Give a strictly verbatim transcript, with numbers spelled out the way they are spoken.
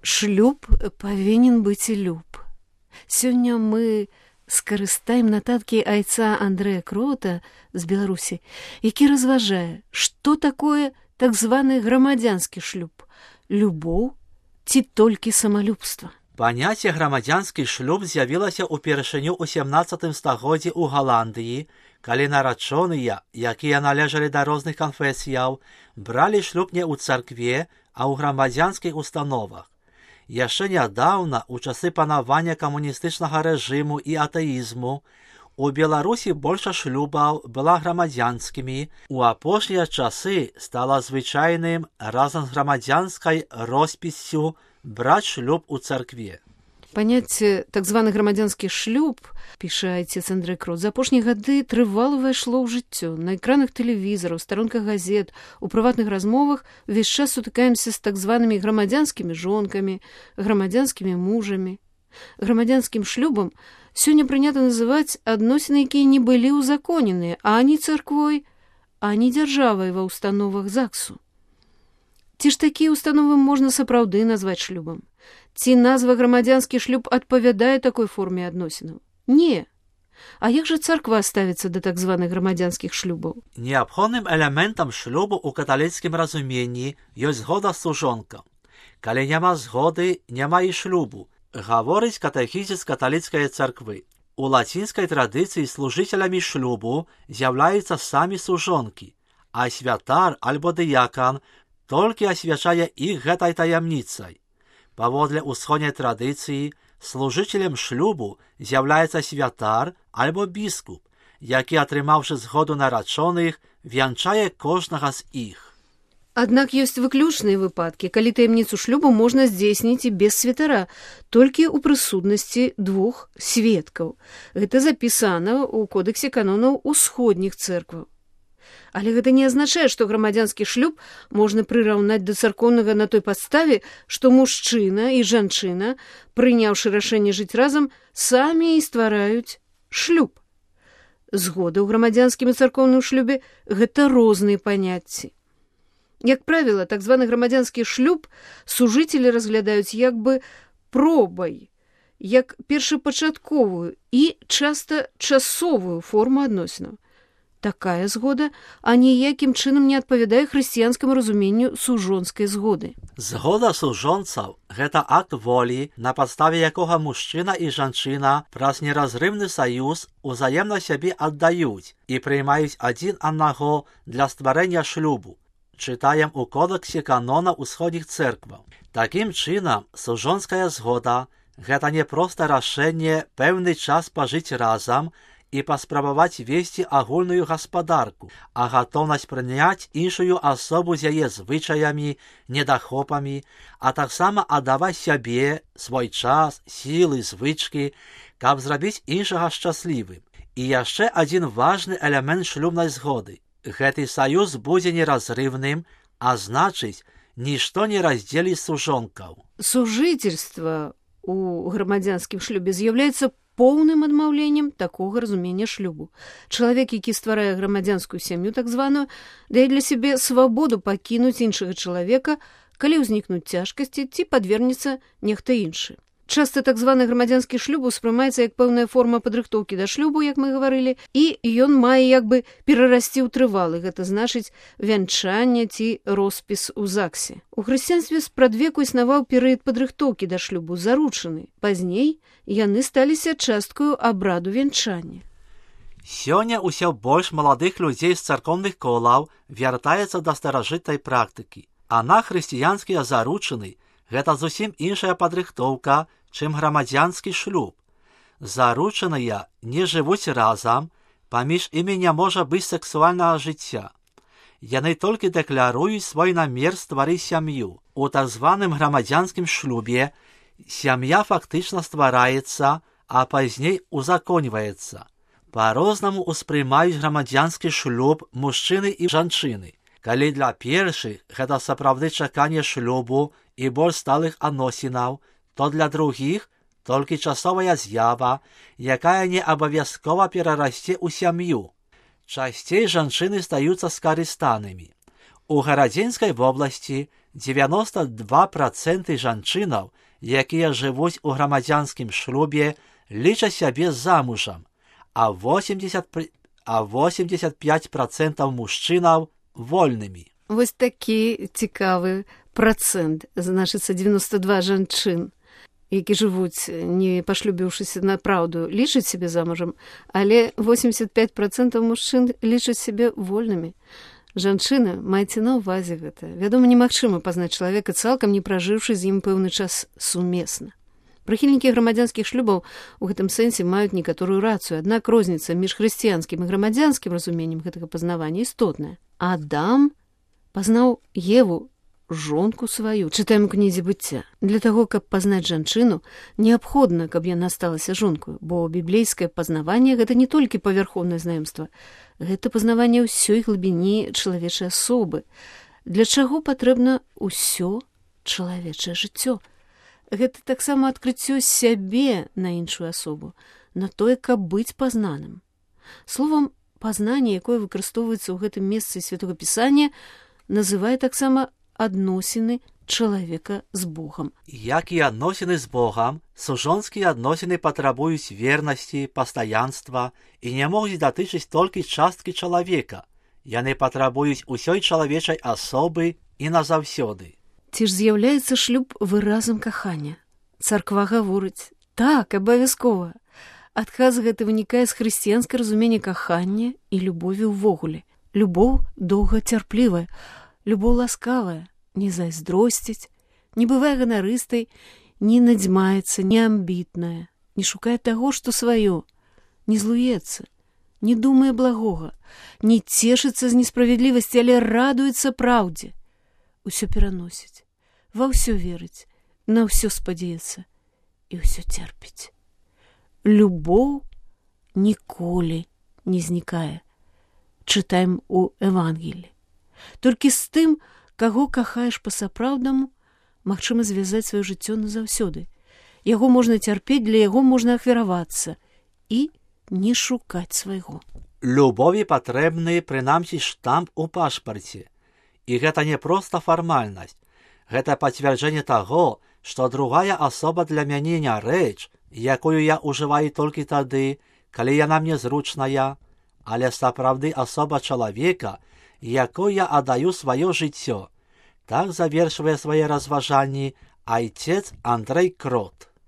шлюб павінен быць люб. Сёння мы скарыстаем нататкі айца Андрэя Крота з Беларусі, які разважае, што такое так званы грамадзянскі шлюб, любоў ці толькі самалюбства. Паняцце грамадзянскі шлюб з'явілася ўпершыню ў сямнаццатым стагоддзі ў Галандыі, калі нарачоныя, якія належалі да розных канфесіяў, бралі шлюб не ў царкве, а ў грамадзянскіх установах. Яшчэ нядаўна, у часы панавання камуністычнага рэжыму і атэізму, у Беларусі большасць шлюбаў была грамадзянскімі, у апошнія часы стала звычайным разам з грамадзянскай роспіссю браць шлюб у царкве. Паняцце так званы грамадзянскі шлюб, піша айцец Андрэй Крот, за апошнія гады трывала ўвайшло ў жыццё. На экранах тэлевізараў, старонках газет, у прыватных размовах увесь час сутыкаемся з так званымі грамадзянскімі жонкамі, грамадзянскімі мужамі. Грамадзянскім шлюбам сёння прынята называць адносіны, якія не былі ўзаконеныя ані царквой, ані дзяржавай ва ўстановах ЗАГСу. Ці ж такія ўстановы можна сапраўды назваць шлюбам? Ці назва грамадзянскі шлюб адпавядае такой форме адносінаў? Не. А як жа царква ставіцца да так званых грамадзянскіх шлюбаў? Неабходным элементам шлюбу ў каталіцкім разуменні ёсць згода сужонка. Калі няма згоды, няма і шлюбу, гаворыць катэхізіс каталіцкай царквы. У лацінскай традыцыі служыцелямі шлюбу з'яўляюцца самі сужонкі, а святар альбо дыякан толькі асвячае іх гэтай таямніцай. Паводле ўсходняй традыцыі, служыцелем шлюбу з'яўляецца святар альбо біскуп, які, атрымаўшы згоду нарачоных, вянчае кожнага з іх. Аднак ёсць выключныя выпадкі, калі таямніцу шлюбу можна здзейсніць і без святара, толькі ў прысутнасці двух сведкаў. Гэта запісана ў кодэксе канонаў усходніх цэркваў. Але гэта не азначае, што грамадзянскі шлюб можна прыраўнаць да царкоўнага на той падставе, што мужчына і жанчына, прыняўшы рашэнне жыць разам, самі і ствараюць шлюб. Згода ў грамадзянскім і царкоўным шлюбе – гэта розныя паняцці. Як правіла, так званы грамадзянскі шлюб сужыцелі разглядаюць як бы пробай, як першапачатковую і часта часовую форму адносінаў. Такая згода аніякім чынам не адпавядае хрысціянскаму разуменню сужонскай згоды. Згода сужонцаў – гэта акт волі, на падставе якога мужчына і жанчына праз неразрыўны саюз узаемна сябе аддаюць і прыймаюць адзін аднаго для стварэння шлюбу. Чытаем у кодэксе канона ўсходніх цэркваў. Такім чынам, сужонская згода – гэта не проста рашэнне пэўны час пажыць разам і паспрабаваць весці агульную гаспадарку, а гатоўнасць прыняць іншую асобу з яе звычаямі, недахопамі, а таксама аддаваць сябе, свой час, сілы, звычкі, каб зрабіць іншага шчаслівым. І яшчэ адзін важны элемент шлюбнай згоды. Гэты саюз будзе неразрыўным, а значыць, нішто не раздзеліць сужонкаў. Сужыцельства у грамадзянскім шлюбе з'яўляецца поўным адмаўленнем такога разумення шлюбу. Чалавек, які стварае грамадзянскую сям'ю, так званую, дае для сябе свабоду пакінуць іншага чалавека, калі ўзнікнуць цяжкасці ці падвергнецца нехта іншы. Часта так званы грамадзянскі шлюб успрымаецца як пэўная форма падрыхтоўкі да шлюбу, як мы гаварылі, і ён мае як бы перарасці ў трывалы, гэта значыць вянчанне ці роспіс у ЗАГСе. У хрысціянстве спрадвеку існаваў перыяд падрыхтоўкі да шлюбу, заручаны. Пазней яны сталіся часткаю абраду вянчання. Сёння ўсё больш маладых людзей з царкоўных колаў вяртаецца да старажытнай практыкі, а на хрысціянскія заручыны гэта зусім іншая падрыхтоўка, чым грамадзянскі шлюб. Заручаныя не жывуць разам, паміж імі не можа быць сексуальнага жыцця. Яны толькі дэкляруюць свой намер стварыць сям'ю. У так званым грамадзянскім шлюбе сям'я фактычна ствараецца, а пазней узаконьваецца. Па-рознаму ўспрымаюць грамадзянскі шлюб мужчыны і жанчыны. Калі для першых гэта сапраўды чаканне шлюбу і больш сталых адносінаў, то для другіх толькі часовая з'ява, якая не абавязкова перарасце ў сям'ю. Часцей жанчыны стаюцца скарыстанымі. У Гарадзінскай вобласці дзевяноста два працэнты жанчынаў, якія жывуць у грамадзянскім шлюбе, лічаць сябе замужам, а восемьдесят пять працэнтаў мужчынаў вольнымі. Вось такі цікавы працэнт, значыцца девяносто два жанчын, які жывуць, не пашлюбіўшыся на праўду, лічаць сябе замужам, але восемьдесят пять працэнтаў мужчын лічаць сябе вольнымі. Жанчына, майце на ўвазе гэта. Вядома, немагчыма пазнаць чалавека, цалкам не пражыўшы з ім пэўны час сумесна. Прыхільнікі грамадзянскіх шлюбаў у гэтым сэнсе маюць некаторую рацыю, аднак розніца між хрысціянскім і грамадзянскім разуменнем гэтага пазнавання істотная. Адам пазнаў Еву, жонку сваю, чытаем у кнізе быцця. Для таго, каб пазнаць жанчыну, неабходна, каб яна сталася жонкаю, бо біблейскае пазнаванне гэта не толькі павярхоўнае знаёмства, гэта пазнаванне ўсёй глыбіні чалавечай асобы. Для чаго патрэбна ўсё чалавечае жыццё? Гэта таксама адкрыццё сябе на іншую асобу, на тое, каб быць пазнаным. Словам, пазнанне, якое выкарыстоўваецца ў гэтым месцы Святога Пісання, называе таксама адносіны чалавека з Богам. Як і адносіны з Богам, сужонскія адносіны патрабуюць вернасці, пастаянства і не могуць датычыць толькі часткі чалавека. Яны патрабуюць усёй чалавечай асобы і назаўсёды. Ці ж з'яўляецца шлюб выразам кахання? Царква гаворыць: так, абавязкова. Адказ гэты вынікае з хрысціянскага разумення кахання і любові ўвогуле. Любоў доўгацярплівая, любоў ласкавая, не зайздросціць, не бывае ганарыстай, не надзьмаецца, не амбітная, не шукае таго, што сваё, не злуецца, не думае благога, не цешыцца з несправядлівасці, але радуецца праўдзе. Усё пераносіць, ва ўсё верыць, на ўсё спадзяецца і ўсё церпіць. Любоў ніколі не знікае. Чытаем у Евангелі. Толькі з тым, каго кахаеш па-сапраўднаму, магчыма звязаць сваё жыццё назаўсёды. Яго можна цярпець, для яго можна ахвяравацца і не шукаць свайго. Любові патрэбны прынамсі штамп у пашпарце. І гэта не проста фармальнасць. Гэта пацвярджэнне таго, што другая асоба для мяне не рэч, якую я ўжываю толькі тады, калі яна мне зручная, але сапраўды асоба чалавека, якой я аддаю сваё жыццё. Так завершвае свае разважанні айцец Андрэй Крот.